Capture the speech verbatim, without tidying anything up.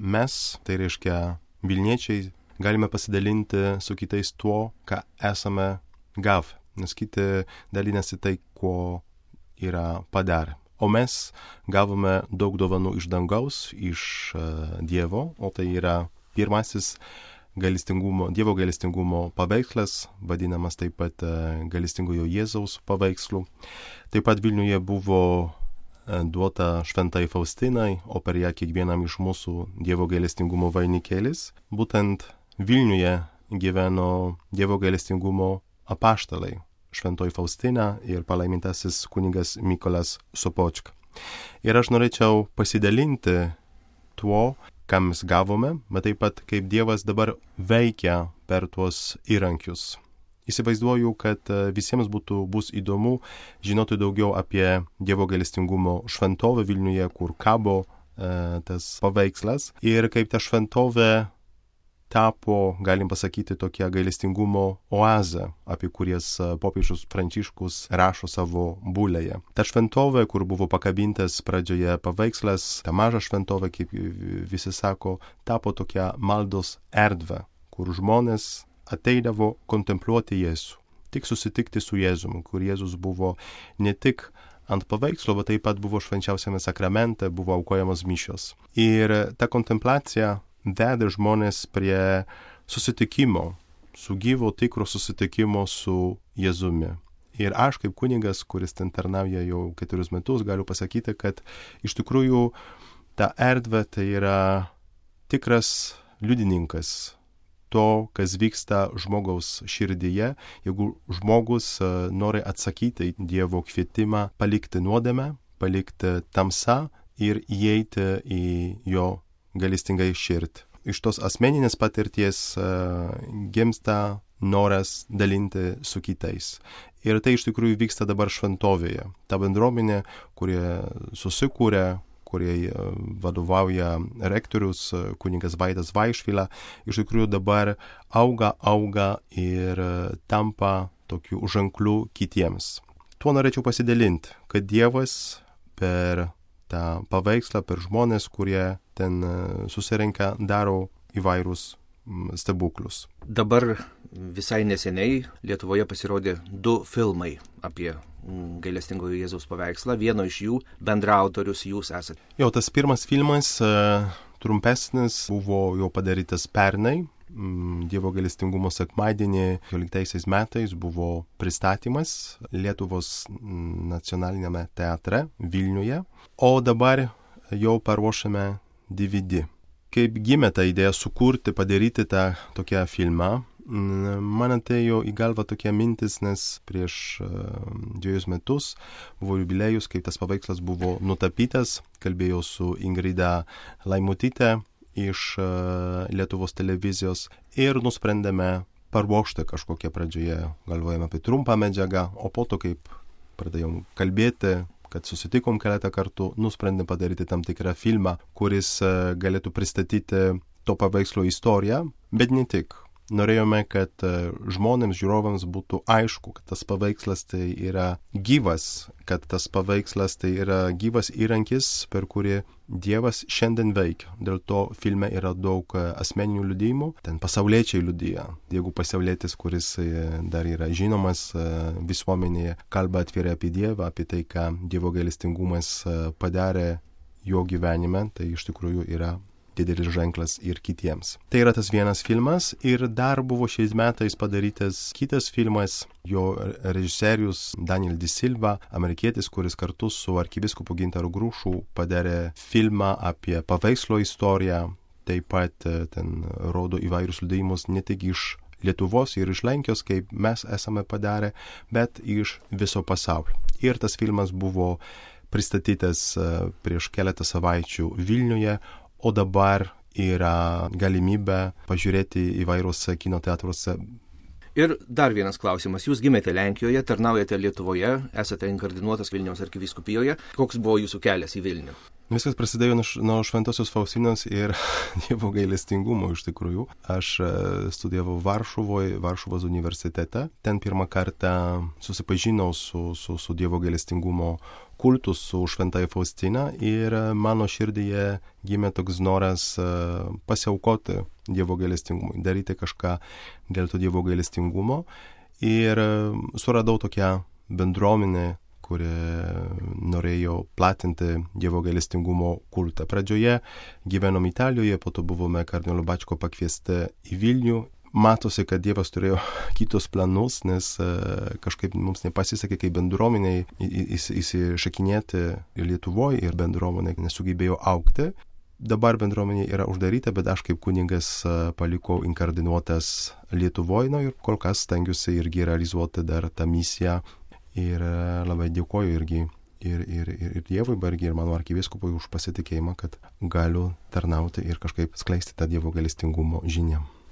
mes, tai reiškia Vilniečiai, galime pasidalinti su kitais tuo, ką esame gavę, nes kiti dalinasi tai, ko yra padarę. O mes gavome daug dovanų iš dangaus, iš uh, Dievo, o tai yra pirmasis gailestingumo, Dievo gailestingumo paveikslas, vadinamas taip pat uh, gailestingojo Jėzaus paveikslu. Taip pat Vilniuje buvo uh, duota šventai Faustinai, o per ją kiekvienam iš mūsų Dievo gailestingumo vainikėlis. Būtent Vilniuje gyveno Dievo gailestingumo apaštalai, šventoji Faustina ir palaimintasis kunigas Mykolas Sopočka. Ir aš norėčiau pasidalinti tuo, ką mes gavome, bet taip pat kaip Dievas dabar veikia per tuos įrankius. Įsivaizduoju, kad visiems būtų bus įdomu žinoti daugiau apie Dievo gailestingumo šventovę Vilniuje, kur kabo e, tas paveikslas ir kaip ta šventovė tapo, galim pasakyti, tokia gailestingumo oazė, apie kurias popiežius Pranciškus rašo savo bulėje. Ta šventovė, kur buvo pakabintas pradžioje paveikslas, ta maža šventovė, kaip visi sako, tapo tokia maldos erdvė, kur žmonės ateidavo kontempliuoti Jėzų, tik susitikti su Jėzumi, kur Jėzus buvo ne tik ant paveikslo, bet taip pat buvo švenčiausiame sakramente, buvo aukojamos mišios. Ir ta kontempliacija veda žmonės prie susitikimo, su gyvo tikro susitikimo su Jėzumi. Ir aš kaip kunigas, kuris ten tarnauja jau keturius metus, galiu pasakyti, kad iš tikrųjų ta erdvė tai yra tikras liudininkas to, kas vyksta žmogaus širdyje, jeigu žmogus nori atsakyti Dievo kvietimą palikti nuodėmę, palikti tamsą ir įeiti į jo gailestingai širdį. Iš tos asmeninės patirties uh, gimsta noras dalinti su kitais. Ir tai iš tikrųjų vyksta dabar šventovėje. Ta bendruomenė, kurie susikūrė, kurie uh, vadovauja rektorius uh, kunigas Vaidas Vaišvila, iš tikrųjų dabar auga, auga ir uh, tampa tokių ženklų kitiems. Tuo norėčiau pasidalinti, kad Dievas per tą paveikslą, per žmonės, kurie ten susirenka, daro įvairūs stebuklus. Dabar visai neseniai Lietuvoje pasirodė du filmai apie gailestingojo Jėzaus paveikslą. Vieno iš jų bendraautorius jūs esate. Jau tas pirmas filmas, trumpesnis, buvo jau padarytas pernai. Dievo gailestingumo sekmadienį keturioliktaisiais metais buvo pristatymas Lietuvos nacionaliniame teatre Vilniuje, o dabar jau paruošėme D V D. Kaip gimė ta idėja sukurti, padaryti tą tokią filmą, man atėjo į galvą tokia mintis, nes prieš uh, dviejus metus buvo jubiliejus, kaip tas paveikslas buvo nutapytas, kalbėjau su Ingrida Laimutyte iš uh, Lietuvos televizijos ir nusprendėme paruošti kažkokią pradžioje, galvojame apie trumpą medžiagą, o po to, kaip pradėjom kalbėti, kad susitikom keletą kartų, nusprendėm padaryti tam tikrą filmą, kuris uh, galėtų pristatyti to paveikslo istoriją, bet ne tik. Norėjome, kad žmonėms, žiūrovams būtų aišku, kad tas paveikslas tai yra gyvas, kad tas paveikslas tai yra gyvas įrankis, per kurį Dievas šiandien veikia. Dėl to filme yra daug asmeninių liudijimų, ten pasauliečiai liudija. Jeigu pasaulietis, kuris dar yra žinomas visuomenėje, kalba atvirai apie Dievą, apie tai, ką Dievo gailestingumas padarė jo gyvenime, tai iš tikrųjų yra didelis ženklas ir kitiems. Tai yra tas vienas filmas ir dar buvo šiais metais padarytas kitas filmas, jo režisierius Daniel Di Silva, amerikietis, kuris kartu su arkivyskupu Gintaru Grušu padarė filmą apie paveikslo istoriją, taip pat ten rodo įvairius liudijimus ne tik iš Lietuvos ir iš Lenkijos, kaip mes esame padarę, bet iš viso pasaulio. Ir tas filmas buvo pristatytas prieš keletą savaičių Vilniuje, o dabar yra galimybė pažiūrėti įvairius kino teatruose. Ir dar vienas klausimas. Jūs gimėte Lenkijoje, tarnaujate Lietuvoje, esate inkardinuotas Vilniaus arkivyskupijoje. Koks buvo jūsų kelias į Vilnių? Viskas prasidėjo nuo Šventosios Faustinos ir Dievo gailestingumo iš tikrųjų. Aš studijavau Varšuvoje, Varšuvos universitete. Ten pirmą kartą susipažinau su, su, su Dievo gailestingumo kultu, su Šventąja Faustina ir mano širdyje gimė toks noras pasiaukoti Dievo gailestingumui, daryti kažką dėl to Dievo gailestingumo. Ir suradau tokią bendruomenę, kuri norėjo platinti Dievo gailestingumo kultą. Pradžioje gyvenom Italijoje, po to buvome kardinolo Bačko pakviesti į Vilnių. Matosi, kad Dievas turėjo kitus planus, nes kažkaip mums nepasisekė kaip bendruomeniai įsišakinėti Lietuvoje ir bendruomenė nesugebėjo augti. Dabar bendruomenė yra uždaryta, bet aš kaip kunigas palikau inkardinuotas Lietuvoje, na ir kol kas stengiuosi irgi realizuoti dar tą misiją. Ir labai dėkoju irgi ir, ir, ir, ir Dievui, bet irgi ir mano arkivyskupui už pasitikėjimą, kad galiu tarnauti ir kažkaip skleisti tą Dievo gailestingumo žinią.